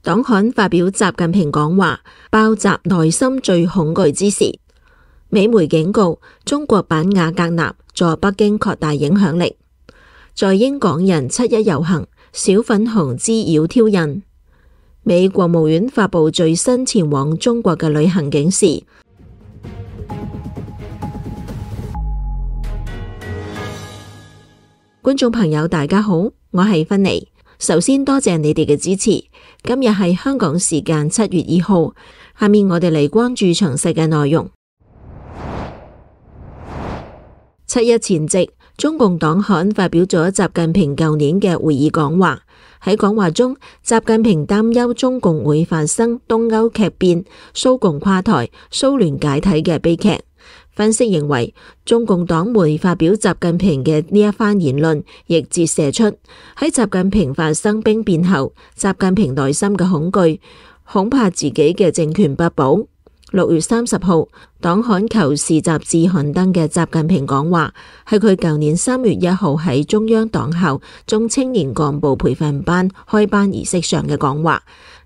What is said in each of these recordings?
黨刊發表習近平講話，爆襲內心最恐懼之時。美媒警告，中國版瓦格納在北京擴大影響力。在英港人7·1遊行，小粉紅滋擾挑釁。美國務院發布最新前往中國嘅旅行警示。觀眾朋友大家好，我係芬妮。首先多謝你哋嘅支持。今日係香港時間7月2號，下面我哋嚟關注詳細嘅內容。7·1前夕，中共黨刊發表咗習近平舊年嘅會議講話。喺講話中，習近平擔憂中共會發生東歐劇變、蘇共垮台、蘇聯解體嘅悲劇。分析認為，中共黨媒發表習近平嘅呢一番言論，亦折射出喺習近平發生兵變後，習近平內心嘅恐懼，恐怕自己嘅政權不保。6月30號，黨刊《求是》雜誌刊登嘅習近平講話，係佢舊年3月1號喺中央黨校中青年幹部培訓班開班儀式上嘅講話。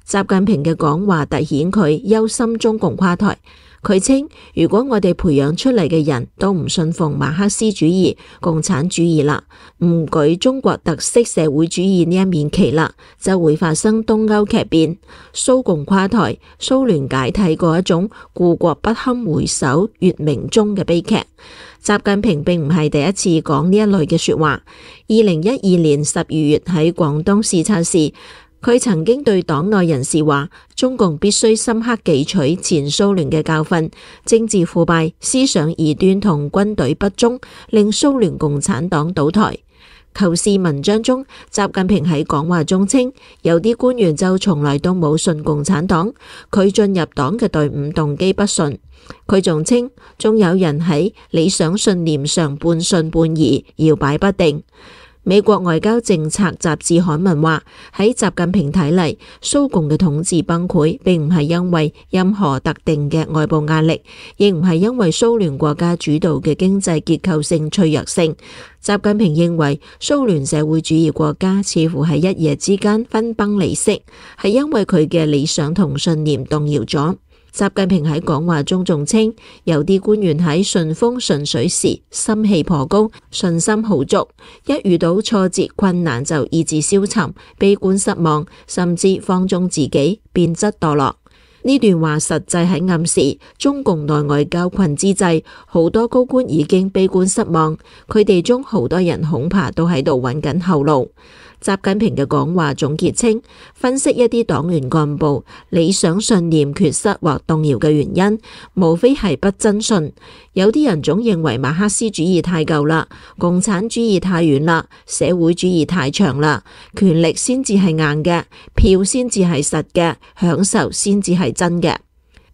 習近平嘅講話凸顯佢憂心中共垮台。佢稱，如果我哋培養出嚟嘅人都唔信奉馬克思主義、共產主義啦，唔舉中國特色社會主義呢一面旗啦，就會發生東歐劇變、蘇共垮台、蘇聯解體嗰一種故國不堪回首月明中嘅悲劇。習近平並唔係第一次講呢一類嘅說話。2012年12月喺廣東視察時，佢曾經對黨內人士話，中共必須深刻記取前蘇聯嘅教訓，政治腐敗、思想異端同軍隊不忠，令蘇聯共產黨倒台。求是文章中，習近平喺講話中稱，有啲官員就從來都冇信共產黨，佢進入黨嘅隊伍動機不純。佢仲稱，仲有人喺理想信念上半信半疑，搖擺不定。美國外交政策雜誌刊文話，喺習近平睇嚟，蘇共嘅統治崩潰並唔係因為任何特定嘅外部壓力，亦唔係因為蘇聯國家主導嘅經濟結構性脆弱性。習近平認為，蘇聯社會主義國家似乎喺一夜之間分崩離析，係因為佢嘅理想同信念動搖咗。習近平喺講話中仲稱，有啲官員喺順風順水時心氣頗高，信心好足，一遇到挫折困難就意志消沉、悲觀失望，甚至放縱自己，變質墮落。呢段話實際喺暗示，中共內外交困之際，好多高官已經悲觀失望，佢哋中好多人恐怕都喺度揾緊後路。習近平嘅講話總結稱，分析一啲黨員幹部理想信念缺失或動搖嘅原因，無非係不真信。有啲人總認為馬克思主義太舊啦，共產主義太遠啦，社會主義太長啦，權力先至係硬嘅，票先至係實嘅，享受先至係真嘅。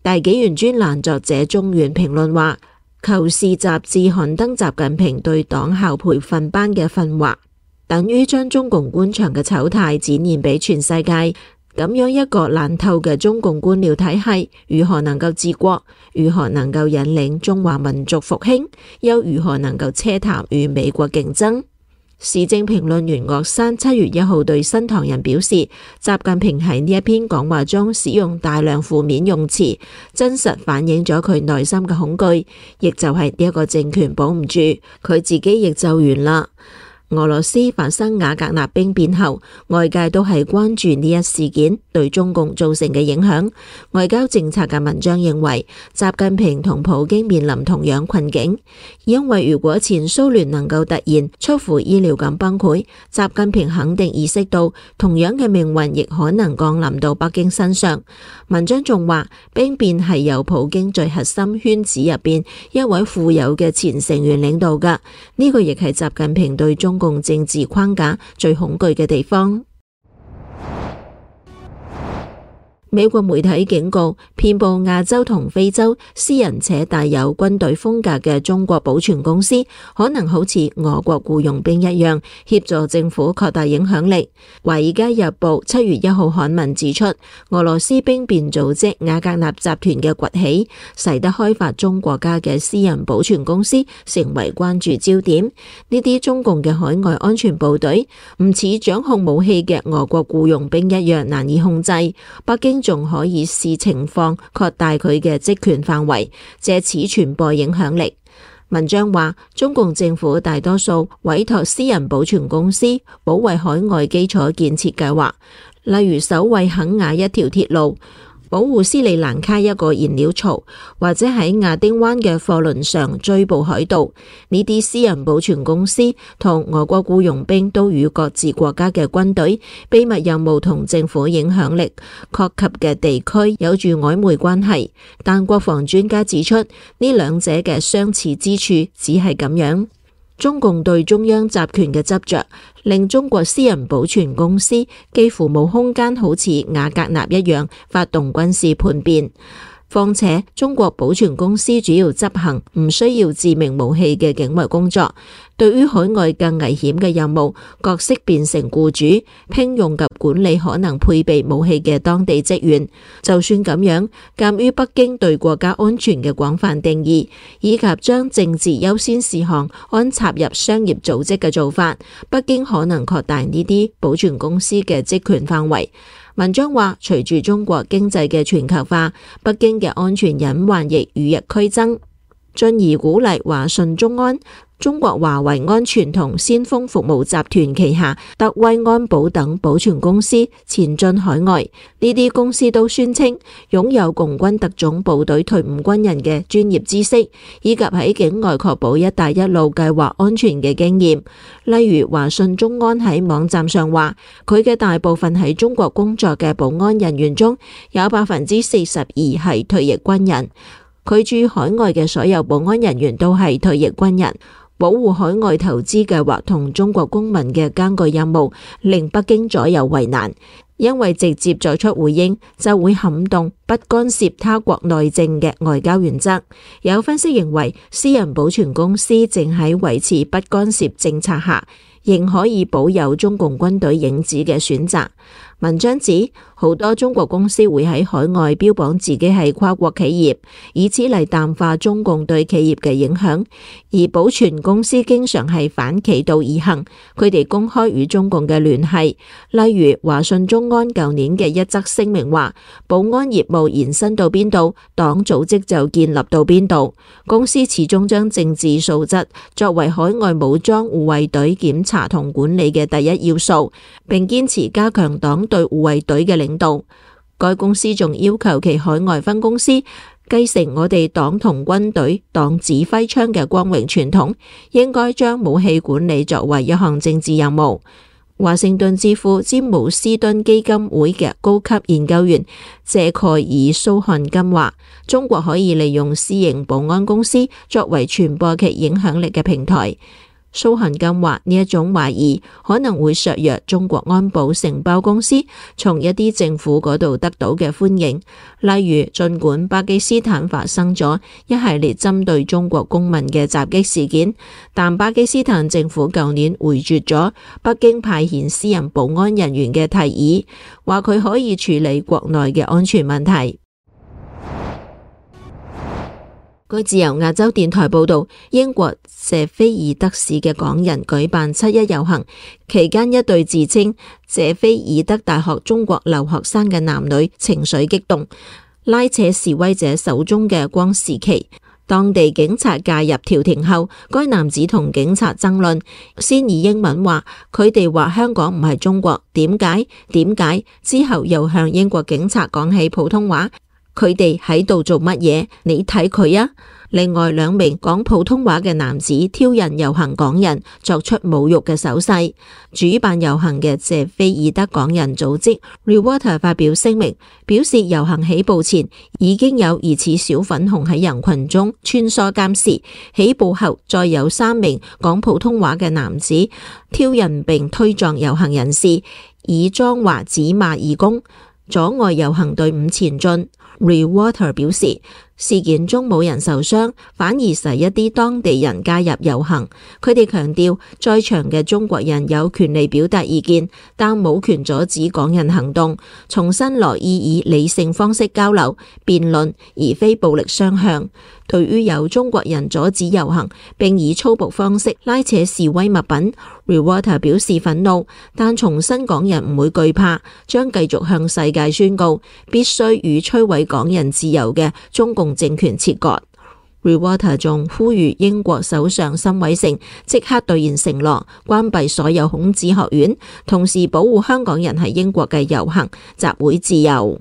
大紀元專欄作者中原評論話，求是雜誌刊登習近平對黨校培訓班嘅訓話，等於將中共官場嘅醜態展現俾全世界。咁樣一個爛透嘅中共官僚體系，如何能夠治國？如何能夠引領中華民族復興？又如何能夠奢談與美國競爭？時政評論員岳山7月1號對新唐人表示，習近平喺呢一篇講話中使用大量負面用詞，真實反映咗佢內心嘅恐懼，亦就係呢一個政權保唔住，佢自己亦就完啦。俄羅斯發生瓦格納兵變後，外界都係關注呢一事件對中共造成嘅影響。外交政策嘅文章認為，習近平同普京面臨同樣困境，因為如果前蘇聯能夠突然出乎意料咁崩潰，習近平肯定意識到同樣嘅命運亦可能降臨到北京身上。文章仲話，兵變係由普京最核心圈子入邊一位富有嘅前成員領導㗎，呢個亦係習近平對中共政治框架最恐懼嘅地方。美國媒體警告，遍佈亞洲同非洲、私人且帶有軍隊風格嘅中國保全公司，可能好似俄國僱傭兵一樣，協助政府擴大影響力。華爾街日報7月1號刊文指出，俄羅斯兵變組織瓦格納集團嘅崛起，使得開發中國家嘅私人保全公司成為關注焦點。呢啲中共嘅海外安全部隊唔似掌控武器嘅俄國僱傭兵一樣難以控制，北京仲可以視情況擴大佢嘅職權範圍，借此傳播影響力。文章話，中共政府大多數委託私人保全公司保衛海外基礎建設計劃，例如守衛肯亞一條鐵路，保護斯里蘭卡一個燃料槽，或者喺亞丁灣嘅貨輪上追捕海盜。呢啲私人保全公司同俄國僱傭兵都與各自國家嘅軍隊、秘密任務同政府影響力擴及嘅地區有住曖昧關係。但國防專家指出，呢兩者嘅相似之處只係咁樣。中共對中央集權嘅執着，令中國私人保全公司幾乎冇空間好似瓦格納一樣發動軍事叛變。況且中國保全公司主要執行唔需要致命武器嘅境外工作，對於海外更危險嘅任務，角色變成僱主，聘用及管理可能配備武器嘅當地職員。就算咁樣，鑒於北京對國家安全嘅廣泛定義，以及將政治優先事項安插入商業組織嘅做法，北京可能擴大呢啲保全公司嘅職權範圍。文章話，隨住中國經濟嘅全球化，北京嘅安全隱患亦與日俱增，進而鼓勵華信中安、中國華為安全同先鋒服務集團旗下德威安保等保全公司前進海外。呢啲公司都宣稱擁有共軍特種部隊退伍軍人嘅專業知識，以及喺境外確保一帶一路計劃安全嘅經驗。例如華信中安喺網站上話，佢嘅大部分喺中國工作嘅保安人員中有42%係退役軍人，佢駐海外嘅所有保安人員都係退役軍人。保護海外投資計劃同中國公民嘅艱巨任務，令北京左右為難，因為直接作出回應就會撼動不干涉他國內政嘅外交原則。有分析認為，私人保全公司正喺維持不干涉政策下，仍可以保有中共軍隊影子嘅選擇。文章指，好多中國公司會喺海外標榜自己係跨國企業，以此嚟淡化中共對企業嘅影響。而保全公司經常係反其道而行，佢哋公開與中共嘅聯繫。例如華信中安舊年嘅一則聲明話，保安業務延伸到邊度，黨組織就建立到邊度。公司始終將政治素質作為海外武裝護衛隊檢查同管理嘅第一要素，並堅持加強黨對護衛隊嘅領導。該公司仲要求其海外分公司繼承我哋黨同軍隊黨指揮槍嘅光榮傳統，應該將武器管理作為一項政治任務。華盛頓智庫詹姆斯敦基金會嘅高級研究員謝蓋爾蘇漢金話，中國可以利用私營保安公司作為傳播其影響力嘅平台。蘇漢金話，呢一種懷疑可能會削弱中國安保承包公司從一啲政府嗰度得到嘅歡迎。例如，儘管巴基斯坦發生咗一系列針對中國公民嘅襲擊事件，但巴基斯坦政府舊年回絕咗北京派遣私人保安人員嘅提議，話佢可以處理國內嘅安全問題。據自由亞洲電台報道，英國謝菲爾德市嘅港人舉辦7·1遊行，期間一對自稱謝菲爾德大學中國留學生嘅男女情緒激動，拉扯示威者手中嘅光時旗。當地警察介入調停後，該男子同警察爭論，先以英文話佢哋話香港唔係中國，點解？之後又向英國警察講起普通話。佢哋喺度做乜嘢？你睇佢啊！另外2名講普通話嘅男子挑釁遊行港人，作出侮辱嘅手勢。主辦遊行嘅謝菲爾德港人組織 Rewater 發表聲明，表示遊行起步前已經有疑似小粉紅喺人群中穿梭監視，起步後再有3名講普通話嘅男子挑釁並推撞遊行人士，以髒話指罵義工。阻礙遊行隊伍前進。Reuters 表示，事件中冇人受傷，反而係一啲當地人加入遊行。佢哋強調，在場嘅中國人有權利表達意見，但冇權阻止港人行動。重申樂意以理性方式交流、辯論，而非暴力相向。對於有中國人阻止遊行並以粗暴方式拉扯示威物品，Reuters 表示憤怒，但重申港人唔會懼怕，將繼續向世界宣告必須與摧毀港人自由嘅中共政權切割。Reuters 仲呼籲英國首相辛偉誠即刻兌現承諾，關閉所有孔子學院，同時保護香港人喺英國嘅遊行集會自由。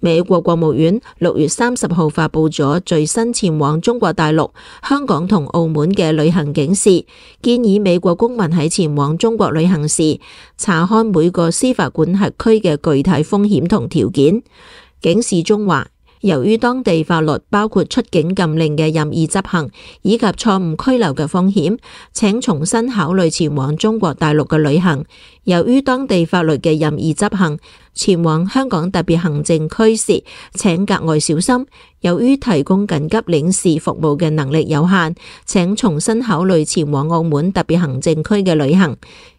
美國國務院6月30號發佈咗最新前往中國大陸、香港同澳門嘅旅行警示，建議美國公民喺前往中國旅行時，查看每個司法管轄區嘅具體風險同條件。警示中話，由於當地法律包括出境禁令嘅任意執行，以及錯誤拘留嘅風險，請重新考慮前往中國大陸嘅旅行。由於當地法律嘅任意執行，前往香港特別行政區時，請格外小心。由於提供緊急領事服務嘅能力有限，請重新考慮前往澳門特別行政區嘅旅行。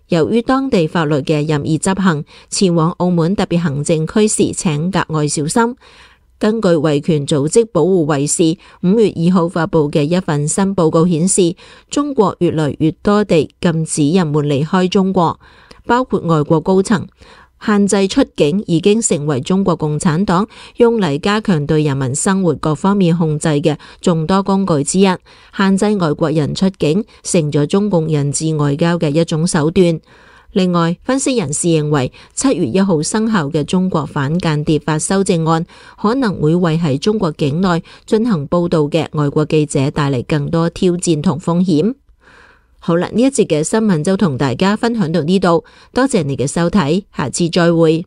由於當地法律嘅任意執行，前往澳門特別行政區時，請格外小心。根據維權組織保護衛士5月2號發佈嘅一份新報告顯示，中國越來越多地禁止人們離開中國，包括外國高層。限制出境已經成為中國共產黨用嚟加強對人民生活各方面控制嘅眾多工具之一。限制外國人出境成咗中共人質外交嘅一種手段。另外，分析人士認為7月1號生效嘅中國反間諜法修正案可能會為喺中國境內進行報道嘅外國記者帶嚟更多挑戰同風險。好啦，呢一節嘅新聞就同大家分享到呢度，多謝你嘅收睇，下次再會。